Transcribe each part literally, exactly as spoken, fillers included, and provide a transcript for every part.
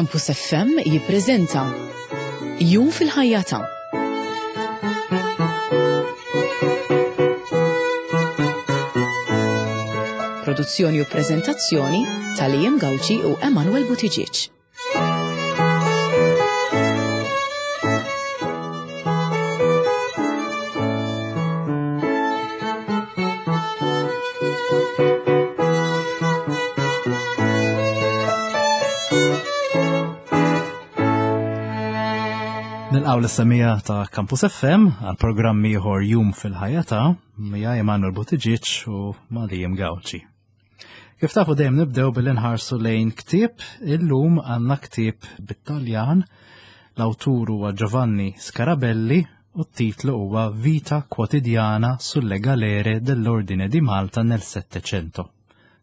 Campus F M jippreżenta Jum fil-ħajja ta' Produzzjoni u preżentazzjoni ta' Liam Gauci u Emanuel Buttigieg. Nilqgħu lis-semmiegħa ta' Campus F M għal programm ieħor, Jum fil-ħajja ta' miegħi Emanuel Buttigieg u ma' Liam Gauci. Kif tafu, dejjem nibdew billi nħarsu lejn ktieb. Illum għandna ktieb bit-Taljan, l-awtur huwa Giovanni Scarabelli u t-titlu huwa Vita quotidiana sulle galere dell'Ordine di Malta nel Settecento.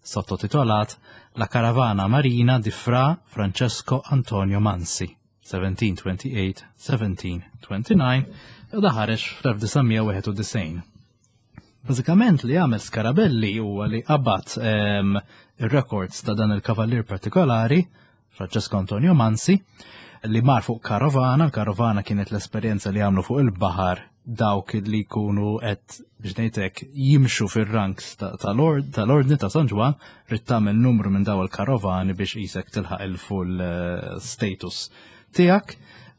Sottotitolat La caravana marina di Fra Francesco Antonio Mansi. seventeen twenty-eight seventeen twenty-nine, u dan ħareġ fl-elf disa' mija wieħed u disgħin. Bażikament li għamel Scarabelli huwa li qabad um, ir-records ta' dan il-kavallier partikolari, Francesco Antonio Mansi, li mar fuq karovana. Il-karovana kienet l-esperjenza li għamlu fuq il-baħar dawk li jkunu qed, biex ngħidlek, jimxu fir-ranks tal-Ordni ta' San Ġwann, trid tagħmel numru minn daw il-karovani biex qisek tilħaq il-full eh, status tiegħek.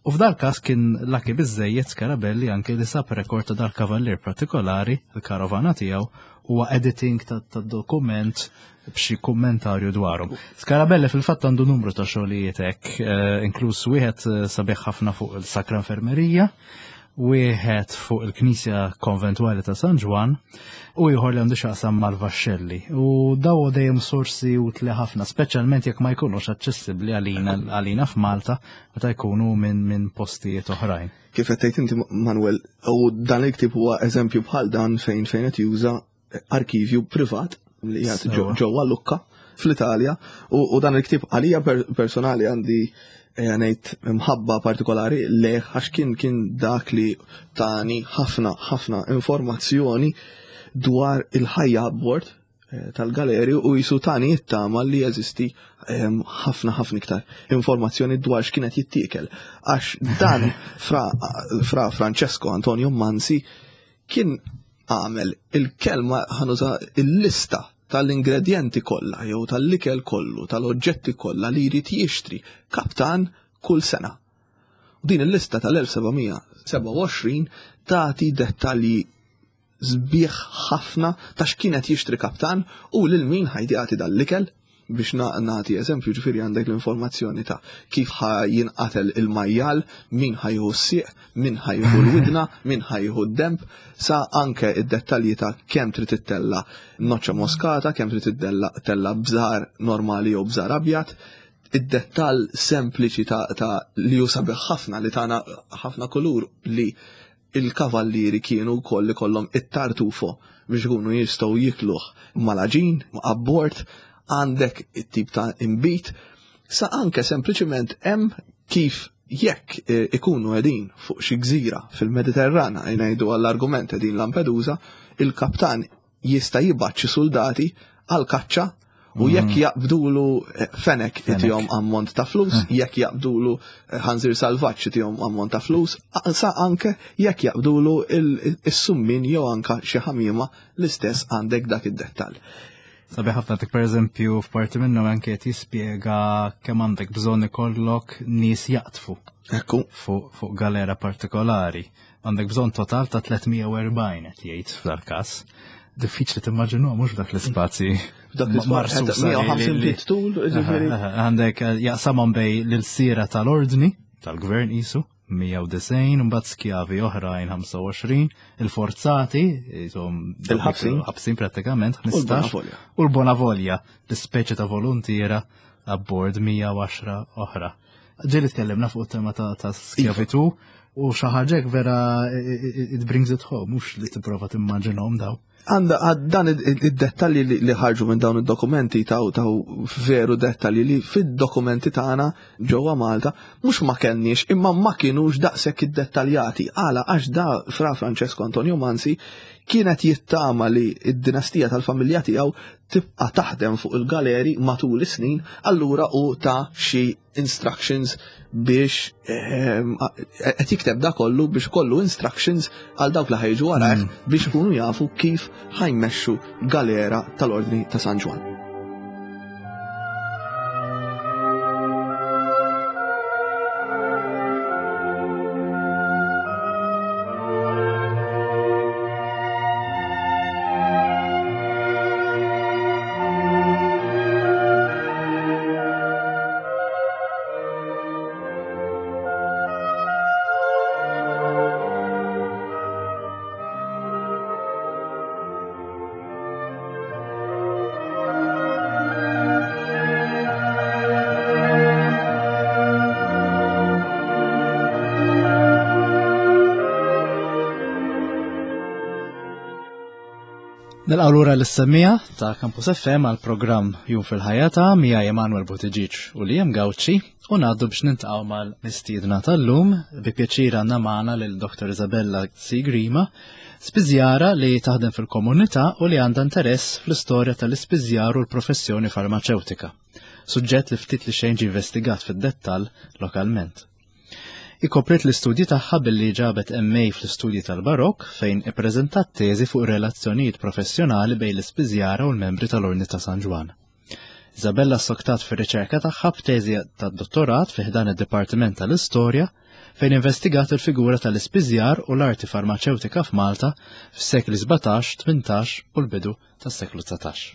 U f'dal każ kien lucky biżejjed Scarabelli anke li sab rekord ta' dal-kavallier partikolari, il-karovana tiegħu, huwa editing ta' dokument b'xi kummentarju dwarhom. Scarabelli fil-fatt għandu numru ta' xogħlijiet hekk, eh, inkluż wieħed eh, sabiħ ħafna fuq il-Sakra Infermerija, wieħed fuq il-Knisja Konventwali ta' San Ġwann u ieħor li għandu x'jaqsam mal-vaxxelli. U daw dejjem sorsi utli ħafna, speċjalment jekk ma jkunux aċċessibbli għalina għalina f'Malta, meta jkunu minn min postijiet oħrajn. Kif qed tgħid inti, Manuel, u dan il-ktieb huwa eżempju bħal dan fejn fejn qed juża arkivju privat li qiegħed ġewwa Lucca fl-Italja, u, u dan il-ktieb għalija per personali għandi eh, ngħid mħabba partikolari lejh għax kien kien dak li tani ħafna ħafna informazzjoni dwar il-ħajja abbord eh, tal-galeri u qisu tani it-tama li jeżisti ehm, ħafna ħafna iktar informazzjoni dwar x'kienet jittiekel. Għax dan fra, fra Francesco Antonio Mansi kien għamel il-kelma, ħa nuża, il-lista tal-ingredienti kollha jew tal-ikel kollu, tal-oġġetti kollha li jrid jixtri kaptan kull sena. U din il-lista tal-elf seba' mija sebgħa u għoxrin tagħti dettalji sbieħ ħafna ta' x'kienet jixtri kaptan u lil min ħa jagħti dal-ikel. Biex nagħti eżempju, ġifieri għandek l-informazzjoni ta' kif ħa jinqatel il-majjal, min ħa jieħu s-sieq, min ħa jieħu l-widna, min ħa jieħu d-demb, sa anke id-dettalji ta' kemm trid ittella noċċa moskata, kemm trid ittella bżar normali jew bżar abjad, id-dettall sempliċi ta', ta li hu sabiħ ħafna, li tana ħafna kulur, li il-kavallieri kienu koll kollhom it-tartufo biex ikunu jistgħu jikluh mal-għaġin, abbord, għandek it-tip ta' imbit, sa anke sempliċiment hemm kif jekk eh, ikunu qegħdin fuq xi gżira fil-Mediterrana, ngħidu għall-argument qegħdin Lampedusa, il-kaptan jista' jibgħat xi soldati għal kaċċa u jekk jaqbdulu eh, fenek itihom ammont ta' flus, jekk jaqbdulu eh, ħanżir salvaġġ itihom ammont ta' flus, sa anke jekk jaqbdulu il-summin jew anka xi ħamiema, l-istess għandek dak id-dettall. Sabiħ ħafna tik, per eżempju, f'parti minnhom anke qed jispjega kemm għandek bżonn ikollok nies jaqtfu Ekku. fuq fuq galera partikolari. Għandek bżonn total ta' tliet mija u erbgħin, qed jgħid f'dal każ. Diffiċli timmaġinu mhux dak l-ispazji. Dak l-ispazju, mija u ħamsin feet tul, ġifieri. Għandek eh, jaqsamhom bejn l-ilsiera tal-ordni, tal-gvern qisu, mija u disgħin, mbagħad skjavi oħrajn ħamsa u għoxrin, il-forzati, jisom Il-ħabsin. ħabsin prattikament, U ħmistax, l-Bonavolja. U l-Bonavolja, l-ispeċi ta' volontiera abbord, mija u għaxra oħra. Ġieli tkellimna fuq tema ta', ta' skjavitu u xi ħaġa vera it brings it home, mhux li tipprova timmaġinhom daw. Għanda għad- dan id-dettalji li li ħarġu minn dawn id-dokumenti taw taw veru dettalji li fid-dokumenti tagħna ġewwa Malta mhux ma kellniex, imma ma kienux daqshekk iddettaljati. Għala? Għax da Fra Francesco Antonio Mansi kienet jittama li id-dinastija tal-familja tiegħu tibqa' taħdem fuq il-galeri matul is-snin, allura u ta' xi instructions biex ehm, qed jikteb da kollu biex kollu instructions għal dawk li ħajġu warajh mm. biex ikunu jafu kif ħajmexxu galera tal-Ordni ta' San Ġwann. Nilqgħu lura lis-semmiegħa ta' Campus F M għal programm Jum fil-Ħajja ta' miegħi Emanuel Buttigieg u Liam Gauci u ngħaddu biex nintaqgħu mal-mistiedna tal-lum. Bi pjaċir għandna magħna lil Doktor Isabella Sigrima, spiżjara li taħdem fil-komunità u li għandha interess fl-istorja tal-ispiżjar u l-professjoni farmaċewtika, suġġett li ftit li xejn ġie investigat fid-dettall lokalment. Ikoprit l-istudji tagħha billi ġabet M A fl-istudji tal-Barok fejn ippreżentat teżi fuq relazzjonijiet professjonali bejn l-ispiżjara u l-membri tal-Ordni ta' San Ġwann. Isabella soktat fir-riċerka tagħha b'teżi tad-dottorat fi ħdan id-Dipartiment tal-Istorja fejn investigat il-figura tal-ispiżjar u l-arti farmaċewtika f'Malta fis-sekli sbatax, tmintax u l-bidu tas-seklu dsatax.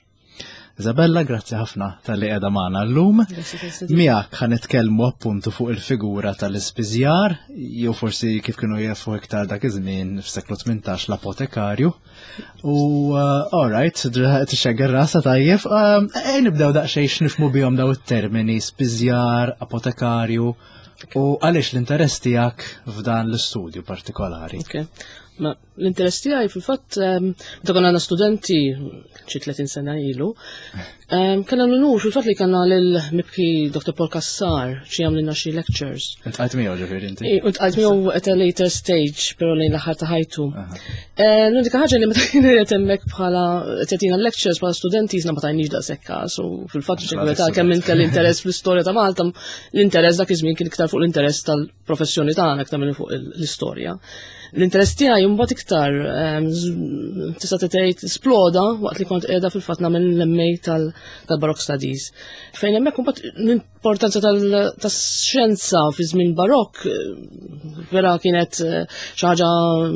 Isabella, grazzi ħafna tal-li qiegħda magħna llum. Miegħek ħa nitkellmu appuntu fuq il-figura tal-ispiżjar, jew forsi kif kienu jafu iktar dak iż-żmien f'seklu tmintax l-apotekarju. U, uh, all right, tixxegger rasa tajjeb. Um, ejja nibdew daqsxejn x'nifhmu bihom daw it-termini spiżjar, apotekarju, u għaliex l-interess tiegħek f'dan l-istudju partikolari. Okay. Ma l-interess tiegħi fil-fatt, ehm, meta konna għandna studenti xi tletin sena ilu, ehm, kellna l-unur fil-fatt li kellna lil mibki Doktor Paul Cassar xi jagħmlilna xi lectures. Intqajt miegħu ġifieri inti? I, intqajt miegħu at a later stage, però lejn l-aħħar ta' ħajtu. Aha. Eh, l-unika ħaġa li meta kien qed hemmhekk bħala qed jagħtina lectures bħala studenti jiżna ma tajniex daqshekk każ, u fil-fatt Bħala xi kwalità studenti. kemm kelli interess fl-istorja ta' Malta, l-interess dak iż-żmien kien iktar fuq l-interess tal-professjoni tagħna iktar minn fuq l-istorja. L-interess tiegħi mbagħad iktar, ehm, z-, tista' tgħid sploda waqt li kont qiegħda fil-fatt nagħmel l-M A tal-, tal-Baroque Studies. Fejn hemmhekk imbagħad l-importanza tal-, tax-xjenza fi żmien Barokk, eh, vera kienet, eh, xi ħaġa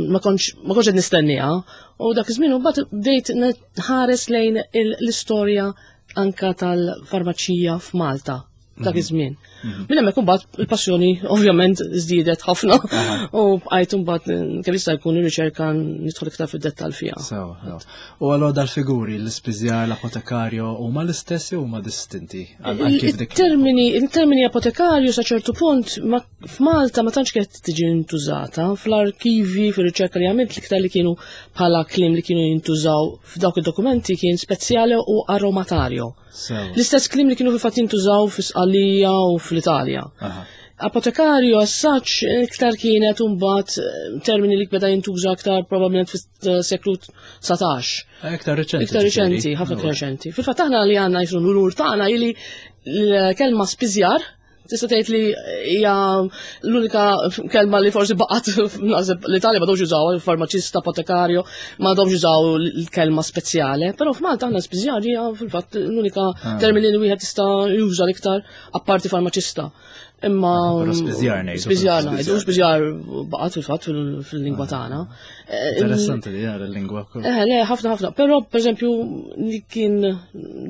ma kontx, ma kontx qed nistenniha. U dak iż-żmien imbagħad bdejt nħares lejn il-, l-istorja anka tal-farmaċija f'Malta dak Mhm. iż-żmien. Mhm. Minn hemmhekk imbagħad il-passjoni ovvjament żdiedet ħafna Aha. u bqajt imbagħad kemm jista' jkun ir-riċerka nidħol iktar fid-dettall fiha. Sewa, sewa. U allura dal-figuri, l-ispiżjar, l-apotekarju, huma l-istess jew huma distinti? Għal-, għal kif dik Il-termini, il-termini apotekarju sa ċertu punt ma, f'Malta ma tantx kienet tiġi intużata, fl-arkivi, fir-riċerka li għamilt l-iktar li kienu bħala kliem li kienu jintużaw f'dawk id-dokumenti kien spezzjale u aromatario. Sewa. L-istess kliem li kienu fil-fatt jintużaw fis-Sqallija u fl-Italja. Aha. Apotekarju as such iktar kienet imbagħad, eh, termini li beda jintuża aktar probabbilment fis-seklu dsatax. Eh, iktar reċenti, Iktar ġifieri. reċenti, ħafna iktar Ewwa. reċenti. Fil-fatt aħna li għandna jisru l-unur tagħna ili l-kelma spiżjar, tista' tgħid li hija l-unika kelma li forsi baqgħet naħseb l-Italja ma dawx jużaw, il-farmaċista, apotekarju, ma dawx jużaw l-kelma spezzjale, però f'Malta aħna spiżjar hija fil-fatt l-unika Ah. termini li wieħed jista' juża l-iktar apparti farmaċista. Imma Però spiżjar ngħidu. Spiżjar ngħidu, spiżjar baqgħet fil-fatt fil-, fil-lingwa Ah. tagħna. Eh, Interessanti li jara l-lingwa wkoll. Eh, le, ħafna, ħafna. Però, per eżempju, li kien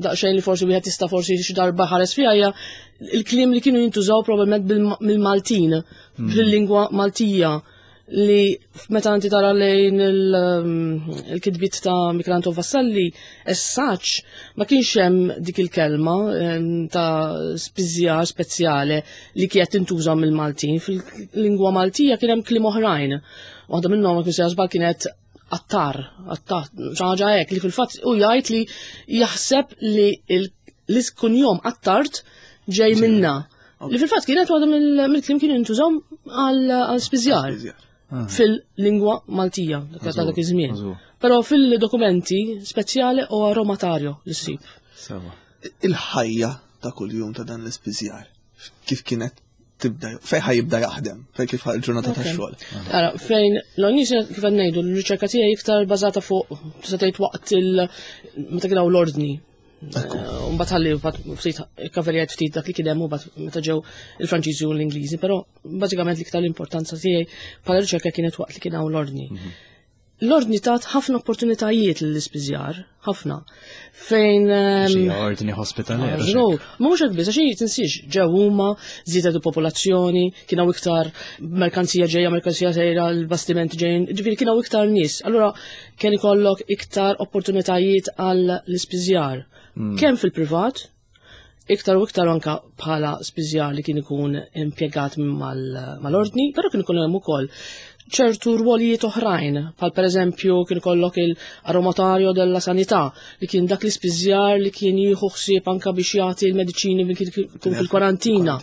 daqsxejn li forsi wieħed jista' forsi xi darba ħares fiha hija il-kliem li kienu jintużaw probabbilment bil-, mill-Maltin, Hmm. fil-lingwa Maltija, li meta inti tara lejn il-, um, il-kitbiet ta' Michelangelo Vassalli, as such, ma kienx hemm dik il-kelma, em, ta' spiżjar spezzjale li kienet tintuża mill-Maltin. Fil-lingwa Maltija kien hemm kliem oħrajn. Waħda minnhom, ma kienx żball, kienet attar, attar, xi ħaġa hekk li fil-fatt u jgħid li jaħseb li il-, l-iskunjom attart ġej Ġej. minna. Ok. Li fil-fatt kienet waħda mill-, mill-kliem kienu jintużaw għal, għal spiżjar. Spiżjar. Ah. Fil-lingwa Maltija, dak Mażur, dak iż-żmien. mażur. Però fil-dokumenti speziale o aromatario li ssib. Sewa. Il-ħajja ta' kuljum ta' dan l-ispiżjar, kif kienet tibda, fejn ħa jibda jaħdem, fejn kif il-ġurnata ta' xogħol. Ara, fejn l-għonnis kif qed ngħidu, l-riċerka tiegħi iktar bażata fuq tista' tgħid waqt il meta kien hawn l-ordni. Mbagħad ħalli mbagħad ftit kaverjajt ftit dak li kien hemm u mbagħad meta ġew il-Franċiżi u l-Ingliżi, però bażikament l-iktar l-importanza tiegħi bħala riċerka kienet waqt li kien hawn l-ordni. L-ordni tat ħafna opportunitajiet lill-ispiżjar, ħafna. Fejn ehm, Xi ordni hospitalera. No, ma mhux hekk biss, għax tinsiex ġew huma, żiedet il-popolazzjoni, kien hawn iktar merkanzija ġejja, merkanzija sejra, l-bastimenti ġejjin, ġifieri kien hawn iktar nies. Allura kien ikollok iktar opportunitajiet għal l-ispiżjar. Kemm fil-privat, iktar u iktar anka bħala spiżjar li kien ikun impjegat mal- mal-ordni, però kien ikun hemm ukoll ċertu rwolijiet oħrajn, bħal per eżempju kien ikollok il-aromatario della sanità, li kien dak l-ispiżjar li kien jieħu ħsieb anka biex jagħti l-mediċini li kien ikun fil-kwarantina.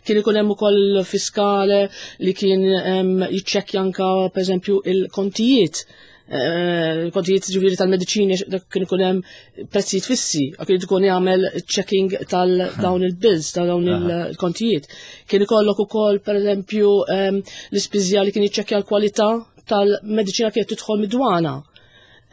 Kien ikun hemm ukoll fiskale li kien em, jiċċekkja anka per eżempju il-kontijiet. Eh, Il-kontijiet ġifieri tal-mediċini dak kien ikun hemm prezzijiet fissi, kien ikun jagħmel checking tal-dawn il-bills, tal dawn il-kontijiet. Kien ikollok ukoll per eżempju em, l-ispiżjar li kien jiċċekkja l-kwalità tal-mediċina kienet tidħol mid-dwana.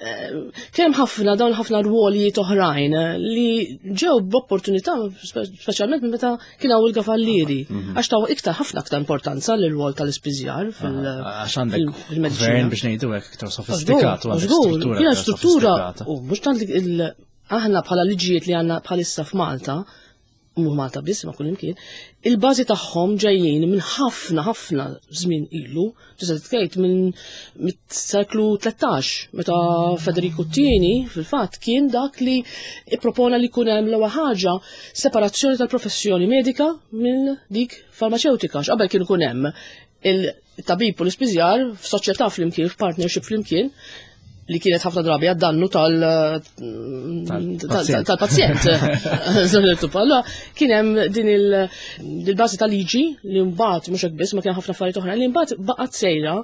Kien hemm ħafna dawn ħafna rwolijiet oħrajn eh, li ġew b'opportunità speċjalment minn meta kien hawn il-kavallieri għax taw iktar ħafna aktar importanza lir-rwol tal-ispiżjar fil- Għax għandek fil-mediċina. gvern biex ngħidu hekk iktar sofistikat u għandek Żgur, struttura. kienet iktar struttura sofistikata. u mhux tant li il- aħna bħala liġijiet li għandna bħalissa f'Malta, mhux Malta biss ma kull imkien, il-bażi tagħhom ġejjin minn ħafna ħafna żmien ilu, tista' tgħid minn mit-seklu tlettax, meta Federico t-tieni fil-fatt kien dak li ippropona li jkun hemm l-ewwel ħaġa separazzjoni tal-professjoni medika minn dik farmaceutika, x'qabel kien ikun hemm il-tabib u l-ispiżjar f'soċjetà flimkien, f'partnership flimkien, li kienet ħafna drabi għad-dannu tal- Tal-pazjent. tal-pazjent. Allora, kien hemm din il- il-bażi tal-liġi li mbagħad mhux hekk biss ma kien ħafna affarijiet oħra li mbagħad baqgħet sejra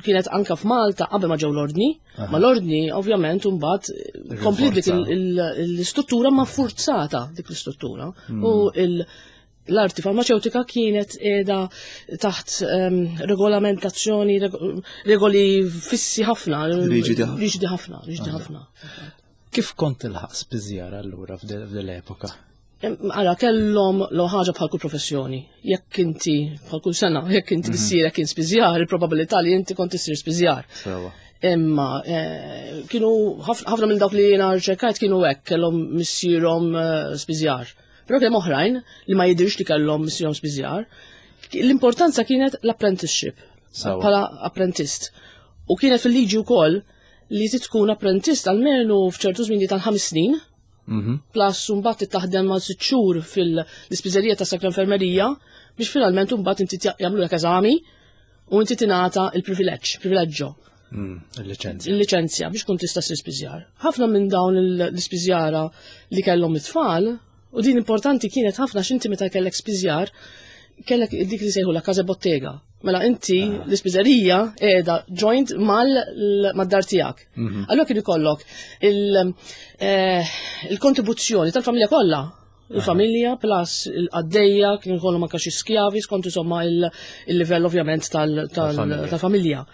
kienet anka f'Malta qabel ma ġew l-ordni, ma l-ordni ovvjament mbagħad kompli dik il- il- l-istruttura ma forzata dik l-istruttura u il- l-arti farmaceutika kienet edha taħt em, regolamentazzjoni, reg- regoli fissi ħafna. Riġidi ħafna. Riġidi ħafna, riġidi ħafna. Kif kont tilħaq spiżjar allura f'dil l-epoka? Em, Ara, kellhom l ħaġa bħal kull professjoni. Jekk inti, bħal kull sena, jekk inti missierek kien spiżjar, il-probabilità li inti kont issir spiżjar. Sewa. Imma eh, kienu ħafna ħafna minn dawk li jiena rċerkajt kienu hekk kellhom missierhom eh, spiżjar. Però kien hemm oħrajn li ma jidirx li kellhom missierhom spiżjar. L-importanza kienet l-apprenticeship Sewa. bħala apprentist. U kienet fil-liġi wkoll li tkun apprentist almenu f'ċertu żmien tal-ħames snin, Mhm. plus mbagħad taħdem ma' sitt xhur fil-ispiżerija ta' Sakra Infermerija biex finalment mbagħad inti jagħmlu eżami u inti tingħata il-privileġġ, privileġġo Mm, Il-liċenzja. il-liċenzja biex kun tista' ssir spiżjar. Ħafna minn dawn l-ispiżjara li kellhom it-tfal, u din importanti kienet ħafna x'inti meta kellek spiżjar, kellek dik li sejħu la casa bottega. Mela inti l-ispiżerija qiegħda joint mal mad-dar tiegħek. Allura kien ikollok il- eh, il-kontribuzzjoni tal-familja kollha. Il-familja plus il-qaddejja kien ikollhom anke xi skjavi skont insomma il- il-livell ovvjament tal- tal- Tal-familja. tal-familja.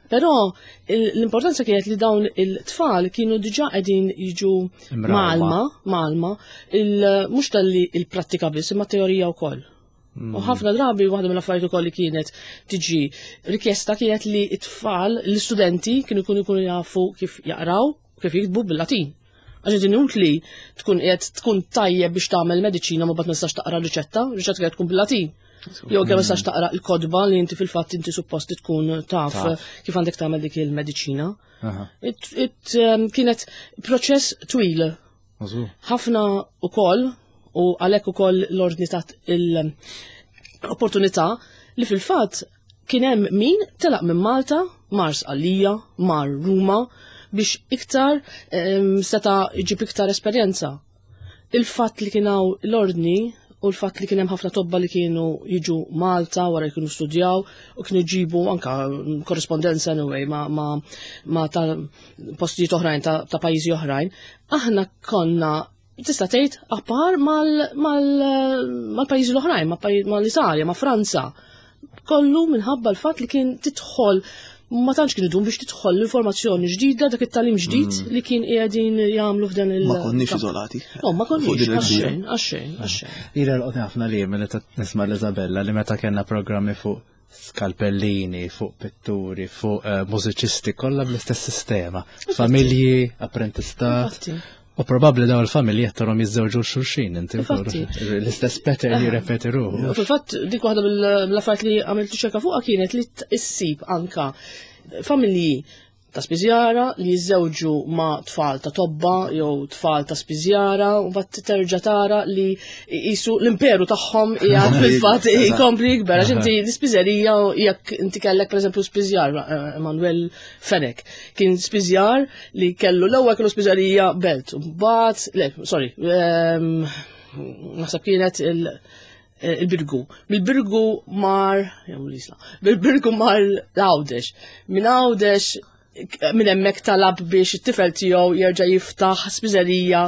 Però il- l-importanza kienet li dawn il-tfal kienu diġà qegħdin jiġu Imrawma. malma, malma, il- mhux tal-li il-prattika biss, imma teorija wkoll. U ħafna drabi waħda mill-affarijiet ukoll li kienet tiġi rikjesta kienet li t-tfal, l-istudenti kienu jkunu jkunu jafu kif jaqraw, kif jiktbu bil-Latin. Għax din utli tkun qiegħed tkun tajjeb biex tagħmel mediċina ma bad ma tistax taqra riċetta, riċetta kienet tkun bil-Latin. Jew kemm ma tistax taqra l-kodba li inti fil-fatt inti suppost tkun taf Taf. kif għandek tagħmel dik il-mediċina. Aha. It, it, um, kienet proċess twil Mażur. ħafna ukoll u għalhekk ukoll l-ordni tat l-opportunità li fil-fatt kien hemm min telaq minn Malta, mar Sqallija, mar Ruma biex iktar em, seta' jġib iktar esperjenza. Il-fatt li kien hawn l-ordni u l-fatt li kien hemm ħafna tobba li kienu jiġu Malta wara kienu studjaw u kienu jġibu anka korrespondenza anyway ma, ma, ma ta' postijiet oħrajn ta', ta' pajjiżi oħrajn, aħna konna tista' tgħid appar mal-pajjiżi l-oħrajn, mal-Italja, ma' Franza. Kollu minħabba l-fatt li kien tidħol ma tantx kien idum biex tidħol l-informazzjoni ġdida, dak it-tagħlim ġdid li kien qiegħdin jagħmlu f'dan il- Ma konniex iżolati. No, ma konniex, għaxejn, għaxejn, għaxejn. Ira l-qotni ħafna li meta nisma' l-Isabella li meta kellna programmi fuq skalpellini, fuq pitturi, fuq eh, mużiċisti, kollha bl-istess sistema. Familji, apprentistat. U probabli daw il-familji jettarhom jiżżewġu xulxin, inti l-istess pattern jirrepeti ruħu. Fil-fatt dik waħda mill-affarijiet li għamilt riċerka fuqha kienet li issib anka familji ta' spiżjara li jiżżewġu ma' tfal ta' tobba jew tfal ta' spiżjara u mbagħad terġa' tara li jisu l-imperu tagħhom qiegħed fil-fatt jkompli jikber għax inti l-ispiżerija jekk inti kellek pereżempju spiżjar Emanuel Fenech kien spiżjar li kellu l-ewwel kellu spiżerija Belt u mbagħad le sorry naħseb kienet il- il-Birgu. Mill-Birgu mar, jew l-Isla, mill-Birgu mar l-Għawdex. Minn Għawdex minn hemmhekk talab biex it-tifel tiegħu jerġa' jiftaħ spiżerija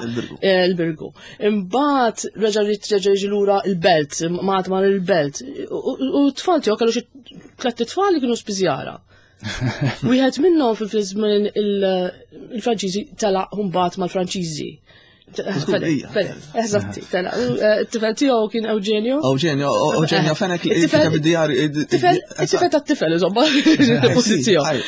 l-Birgu. Imbagħad reġa' reġa' jiġi lura l-Belt, mat mar il-Belt. U t-tfal tiegħu kellu xi tliet tfal li kienu spiżjara. Wieħed minnhom fil-żmien il-Franċiżi telaq mbagħad mal-Franċiżi. Eżatti, tela. It-tifel tiegħu kien Eugenio. Eugenio, Eugenio Fenech li kiteb id-djarju. It-tifel tat-tifel, insomma, il-pożizzjoni.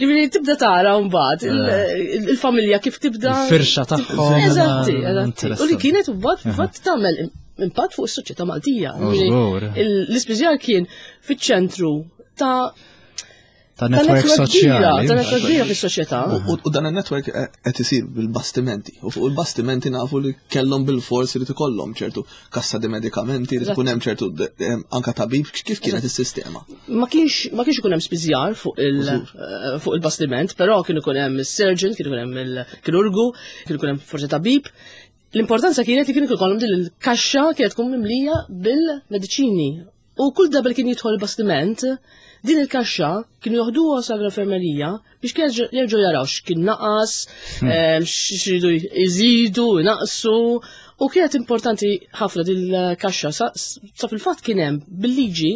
Li tibda tara mbagħad il-familja kif tibda. Il-firxa tagħhom. Eżatti, eżatti. U li kienet mbagħad fil-fatt tagħmel impatt fuq is-soċjetà Maltija. L-ispiżjar kien fiċ-ċentru ta' Ta' network soċjali. Ta' network kbira fis-soċjetà. U dan il-network qed isir bil-bastimenti. U fuq il-bastimenti nafu li kellhom bil-fors li ikollhom ċertu kassa di medikamenti, li tkun hemm ċertu anka tabib, kif kienet is-sistema? Ma kienx ma kienx ikun hemm spiżjar fuq il fuq il-bastiment, però kien ikun hemm is-surgeon, kien ikun hemm il-kirurgu, kien ikun hemm forsi tabib. L-importanza kienet li kien ikollhom din il-kaxxa kienet tkun mimlija bil-mediċini. U kull darba li kien jidħol il-bastiment, din il-kaxxa kienu joħduha sa l-infermerija biex jerġgħu jaraw x'kien naqas, x'iridu jżidu, jnaqsu. U kienet importanti ħafna din il-kaxxa sa fil-fatt kien hemm bil-liġi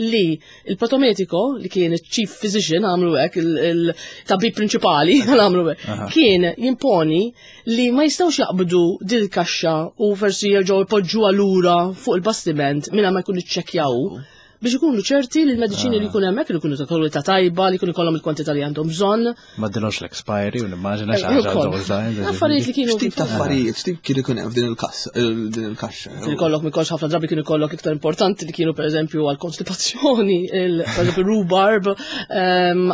li il-protomedico, li kien il-chief physician, għamlu hekk, il-tabib prinċipali, għamlu hekk, kien jimponi li ma jistgħux jaqbdu din il-kaxxa u forsi jerġgħu jpoġġuha lura fuq il-bastiment mingħajr ma jkunu ċċekkjaw biex ikunu ċerti li l-mediċini li jkunu hemmhekk li jkunu ta' kwalità tajba, li jkunu jkollhom il-kwantità li għandhom bżonn. Ma dilhomx l-expiry u nimmaġina xi ħaġa those lines. Affarijiet li kienu. X'tip ta' affarijiet, x'tip kien ikun hemm f'din il-kassa, din il-kaxxa? Kien ikollok mikolx ħafna drabi kien ikollok iktar importanti li kienu pereżempju għall-konstipazzjoni, pereżempju rhubarb,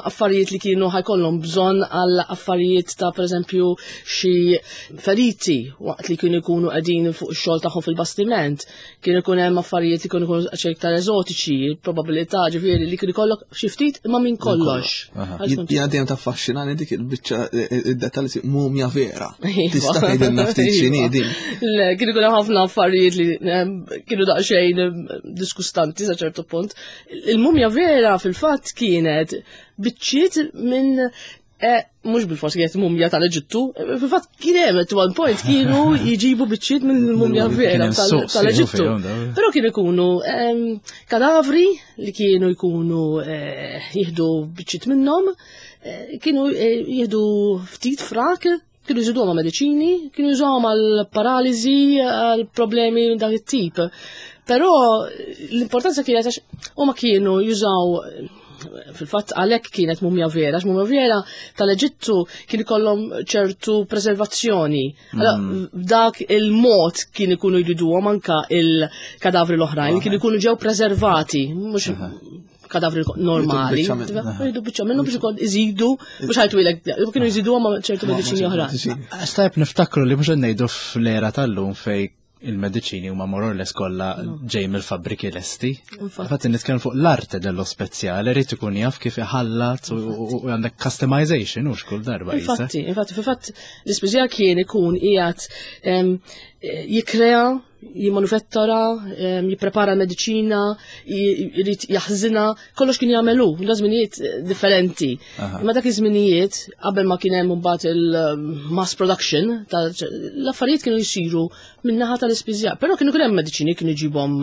affarijiet li kienu ħajkollhom bżonn għal affarijiet ta' pereżempju xi feriti waqt li kienu jkunu qegħdin fuq ix-xogħol tagħhom fil-bastiment. Kien ikun hemm affarijiet li kienu jkunu iktar eżotiċi, probabilità ġifieri li kien ikollok xi ftit imma minn kollox. Jiena dejjem taffaxxinani dik il-biċċa id-dettalji mumja vera. Tista' tgħidilna ftit x'inhi din. Le, kien ikun hemm ħafna affarijiet li kienu daqsxejn diskustanti sa ċertu punt. Il-mumja vera fil-fatt kienet biċċiet minn mhux bil-fors kienet mumja tal-Eġittu, fil-fatt kien hemm at one point kienu jġibu biċċiet minn mumja vera tal-Eġittu. Però kienu jkunu kadavri li kienu jkunu jieħdu biċċiet minnhom, kienu jieħdu ftit frak, kienu jżiduhom ma' mediċini, kienu jużawhom għal paraliżi, għal problemi minn dak it-tip. Però l-importanza kienet għax huma kienu jużaw fil-fatt għalhekk kienet mumja vera, għax mumja vera tal-Eġittu kien ikollhom ċertu preservazzjoni. Allora, dak il-mod kien ikunu jriduhom anka il-kadavri l-oħrajn, kienu jkunu ġew preservati, mhux kadavri normali. Jridu biċċa minnhom biex ikun iżidu, mhux ħajtwilek, kienu jżiduhom ma' ċertu mediċini oħrajn. Għax tajb niftakru li mhux qed ngħidu fl-era tal-lum fej il-mediċini huma more or less kollha ġej mill-fabbriki lesti. Infatti nitkellem fuq l-arte dello speziale, irid ikun jaf kif iħallat u għandek customization hux kull darba. Infatti, infatti, fil-fatt l-ispiżjar kien ikun qiegħed jikrea Jimmanufettura, jipprepara mediċina, jrid jaħżinha, kollox kien jagħmelu, da żminijiet differenti. Imma dak iż-żminijiet qabel ma kien hemm imbagħad il-mass production, l-affarijiet kienu jsiru min-naħa tal-ispiżjar. Però kienu kien hemm mediċini kienu jġibhom,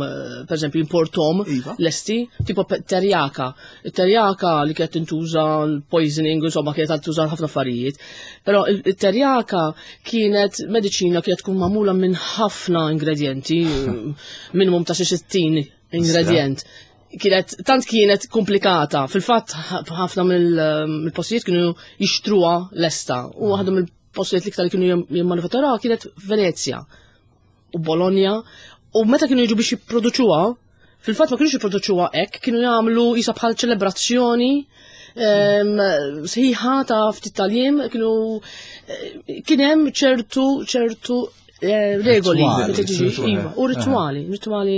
pereżempju, importom Iva. lesti, tipo terjaka. Il-terjaka li kienet tintuża l-poisoning, insomma, kienet tintuża ħafna affarijiet. Però il-terjaka kienet mediċina kienet tkun magħmula minn ħafna ingredienti, minimum ta' xi sittin ingredient. Kienet, tant kienet komplikata. Fil-fatt, ħafna mill-postijiet kienu jixtruha lesta. U waħda mill-postijiet l-iktar li kienu jimmanufatturaw kienet Venezia u Bologna. U meta kienu jiġu biex jipproduċuha, fil-fatt ma kienux jipproduċuha hekk, kienu jagħmlu jisa bħal ċelebrazzjoni sħiħa ta' ftit tal-jiem, kienu kien hemm ċertu ċertu regoli, iva, u rituali, rituali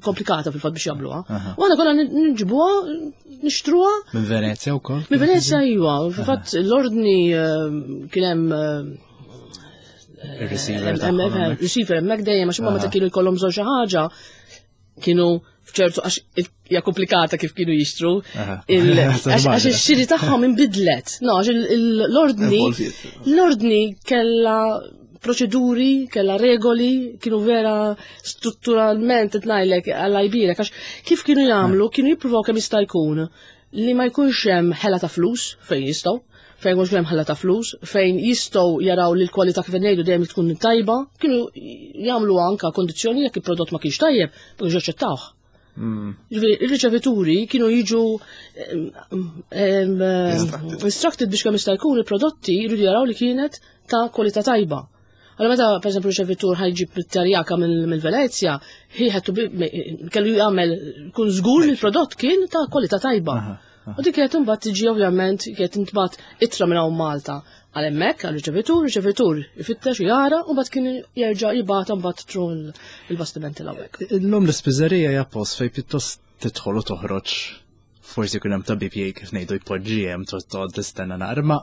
komplikata fil-fatt biex jagħmluha. U aħna konna nġibuha, nixtruha. Minn Venezia wkoll? Minn Venezia iva, fil-fatt l-ordni kien hemm Il-receiver. Receiver hemmhekk dejjem, għax huma meta kienu jkollhom bżonn xi ħaġa, kienu fċertu, għax hija komplikata kif kienu jixtru, għax ix-xiri tagħhom inbidlet. No, għax l-ordni l-ordni kellha proċeduri, kellha regoli, kienu vera strutturalment qed ngħidlek għalla jbirek, għax kif kienu jagħmlu, kienu jippruvaw kemm jista' jkun li ma jkunx hemm ħela ta' flus fejn jistgħu, fejn mhux hemm ħela ta' flus, fejn jistgħu jaraw li l-kwalità kif ngħidu dejjem tkun tajba, kienu jagħmlu anka kondizzjoni jekk il-prodott ma kienx tajjeb, ma kienx jaċċettawh. Ġifieri, il-riċevituri kienu jiġu instructed biex kemm jista' jkun il-prodotti jridu jaraw li kienet ta' kwalità tajba. Allora meta, per esempio, riċevitur ħa jġib terjaka mill-Venezja, he had to be, kellu jagħmel kun żgur li l-prodott kien ta' kwalità tajba. U dik kienet imbagħad tiġi, ovvjament kienet intbagħat ittra minn hawn Malta għal hemmhekk għal riċevitur, riċevitur ifittex u jara u mbagħad kien jerġa' jibgħatha mbagħad through il-bastimenti l hawnhekk. Illum l-ispiżerija hija post fej pjuttost tidħol u toħroġ, forsi jkun hemm tabib jgħid kif ngħidu jpoġġi hemm, toqgħod tistenna naqra, ma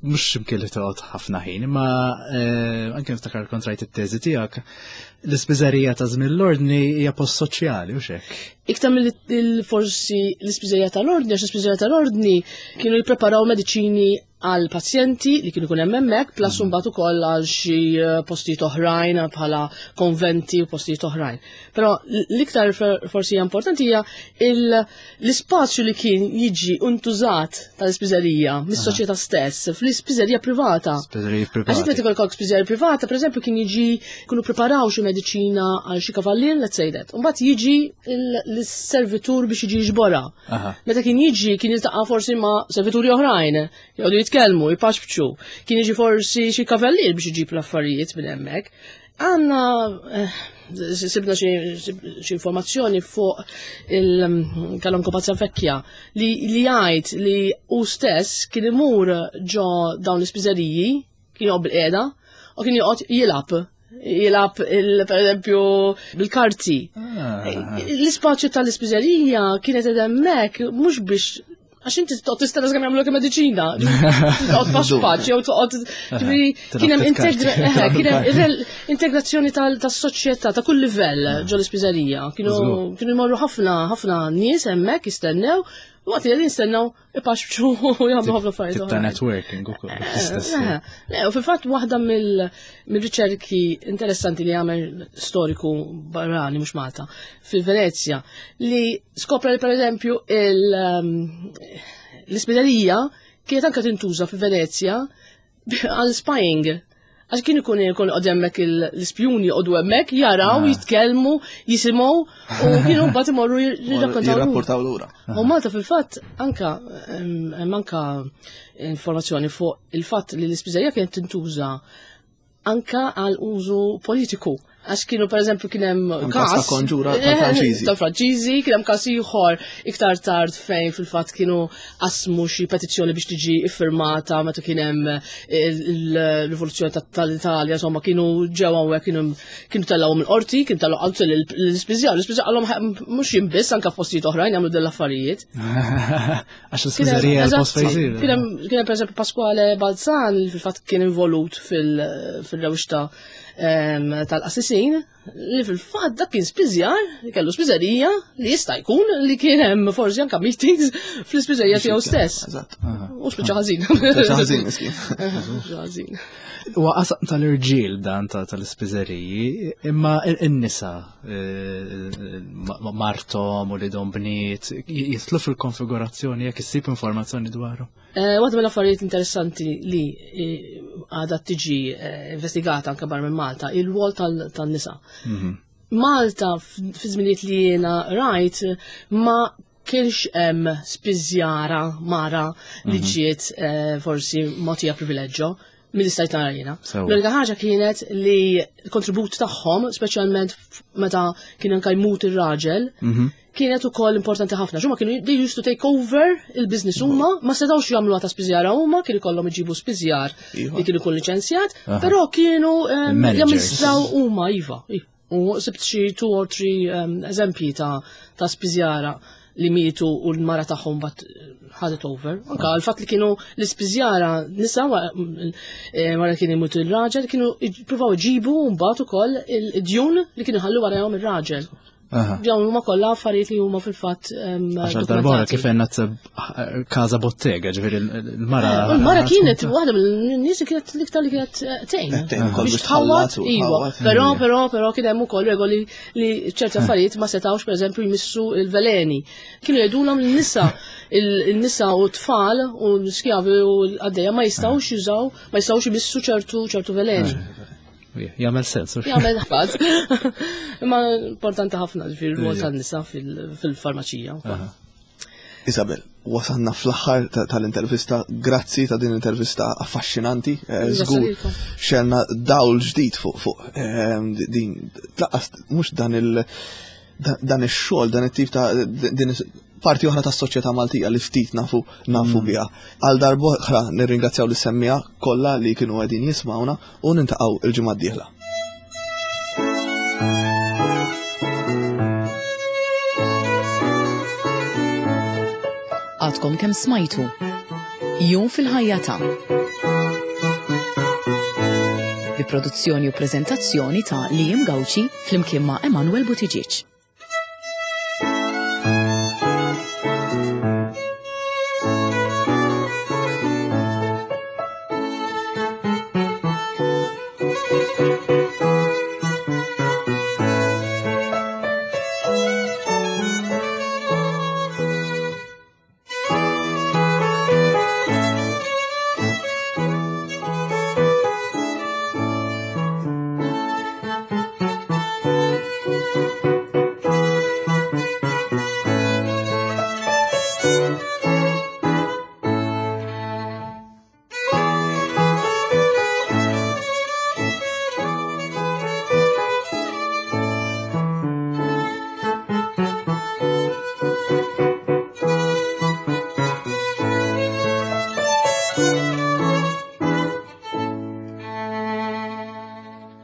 mhux x'imkien li toqgħod ħafna ħin, imma eh, anke niftakar kont rajt it-teżi tiegħek, l-ispiżerija ta' żmien l-ordni hija post soċjali u xek. Iktar mill forsi l-ispiżerija tal-ordni, għax l-ispiżerija tal-ordni kienu jippreparaw mediċini għal pazjenti li kienu jkun hemm hemmhekk, plus mm. mbagħad ukoll għal xi eh, postijiet oħrajn bħala konventi u postijiet oħrajn. Però l-iktar forsi hija importanti hija l-ispazju li kien jiġi untużat tal-ispiżerija mis-soċjetà stess, fl-ispiżerija privata. Spiżerija privata. Għax meta jkollok spiżerija privata, pereżempju, kien jiġi kienu preparaw xi mediċina għal xi kavallin, let's say that. Mbagħad jiġi l-servitur biex jiġi jiġborha. Meta kien jiġi kien jiltaqa' forsi ma' servituri oħrajn, jgħodu jitkellmu, jipaxpċu. Kien jiġi forsi xi kavallier biex iġib l-affarijiet minn hemmhekk. Għanna eh, sibna xi informazzjoni fuq il-Kalonku Panzavecchia li li jgħid li u stess kien imur ġo dawn l-ispiżeriji, kien joqgħod bil-qiegħda u kien joqgħod jilgħab jilgħab per eżempju bil-karti. Ah. L-ispazju tal-ispiżerija kienet hemmhekk mhux biex, għax inti toqgħod tistenna sakemm jagħmlu mediċina. Toqgħod paxpaċ jew toqgħod, ġifieri kien hemm kien hemm integrazzjoni tas-soċjetà ta' kull livell ġo l-ispiżerija. Kienu kienu jmorru ħafna ħafna nies hemmhekk jistennew. Waqt li qegħdin jistennew ipaxpxu u jagħmlu ħafna affarijiet. Ta' networking ukoll. Le, u fil-fatt waħda mill-riċerki interessanti li għamel storiku barrani mhux Malta fil-Venezja li skopra li, pereżempju, l-ispiżerija kienet anke tintuża fil-Venezja għal spying. Għax kien ikun ikun qod hemmhekk l-ispjuni joqogħdu hemmhekk jaraw, ah. jitkellmu, jisimgħu u kienu mbagħad imorru jirrakkontaw. Jirrapportaw lura. U Malta fil-fatt anka hemm anka informazzjoni fuq il-fatt li l-ispiżerija kienet tintuża anka għal użu politiku. Għax kienu, per eżempju, kien hemm każ ta' konġura tal-Franċiżi. Tal-Franċiżi, kien hemm każ ieħor iktar tard fejn fil-fatt kienu qasmu xi petizzjoni biex tiġi iffirmata meta kien hemm il-rivoluzzjoni tal-Italja, insomma, kienu ġew hawnhekk, kienu kienu tellgħu mill-qorti, kien tellgħu għalt l-ispiżjar, l-ispiżjar qalhom mhux jien biss, anke f'postijiet oħrajn jagħmlu din l-affarijiet. Għax l-ispiżerija l-post fejn jsir. Kien hemm, per eżempju, Pasquale Balzan li fil-fatt kien involut fil-rewxta em, tal-qassisin li fil-fatt dak kien spiżjar, li kellu spiżerija li jista' jkun li kien hemm forsi anke meetings fl-ispiżerija tiegħu stess. Eżatt. U spiċċa ħażin. Spiċċa ħażin, miskin. Spiċċa ħażin. Huwa qasam tal-irġiel dan ta' tal-ispiżeriji, imma in-nisa eh, ma- martom u li dom bniet jitlu fil-konfigurazzjoni jekk issib informazzjoni dwaru. Eh, Waħda mill-affarijiet interessanti li eh, għadha tiġi eh, investigata anke barra minn Malta, il-rwol tal- tan-nisa. Malta f- fi żminijiet li jiena rajt ma kienx hemm spiżjara mara li ġiet eh, forsi mogħtija privileġġo mill stajt nara jiena. Sewa. L-unika ħaġa kienet li l-kontribut tagħhom, speċjalment f- meta kien anke jmut ir-raġel, kienet ukoll importanti ħafna. Xuma kienu they used to take over il-business huma, ma setgħux jagħmluha ta' spiżjara huma, kienu ikollhom iġibu spiżjar Iva. li kienu jkun liċenzjat, però kienu em, Il-managers. jamministraw huma iva. iva. U sibt xi two or three em, eżempji ta' ta' spiżjara li mietu u l-mara tagħhom bat ħadet over. Anka l-fatt li kienu l-ispiżjara nisa wa- eh, wara kien imut il-raġel kienu jippruvaw iġibu mbagħad ukoll il-djun li kienu ħallu warahom ir-raġel. Aha. Dawn huma kollha affarijiet li huma fil-fatt em, Għax darbora dokumentati. kif għenna t kaza bottega, ġifieri il-mara. U l-mara kienet waħda mill-nies li kienet l-iktar li kienet eh, tgħin. Tgħin ukoll Biex biex tħallat tħawwat, u iva. tħawwat. Però, però, però kien hemm ukoll regoli li ċerti affarijiet ma setgħux pereżempju jmissu il-veleni. Kienu jgħidulhom l-nisa, il-nisa u t-tfal u l-skjavi u l-għaddejja ma jistgħux jużaw, ma jistgħux jmissu ċertu ċertu veleni. Jagħmel sens. u- Jagħmel ħfaz. Imma importanti ħafna ġifieri r-rwol tan-nisa fil- fil-farmaċija. wkoll. Isabel, wasanna fl-aħħar ta- tal-intervista, grazzi ta' din l-intervista affaxxinanti, eh, Grazzi żgur lilkom. xelna dawl ġdid fuq fuq ehm, din tlaqqas mhux dan il da- dan ix-xogħol, dan it-tip ta' din is- parti oħra tas-soċjetà Maltija li ftit nafu nafu biha. Għal darb'oħra nirringrazzjaw lis-semmija kollha li kienu qegħdin jismawna u nintaqgħu il-ġimgħa d-dieħla. Għadkom kemm smajtu. Jum fil-ħajja ta' Bi produzzjoni u prezentazzjoni ta' Liam Gauci flimkien ma' Emanuel Buttigieg.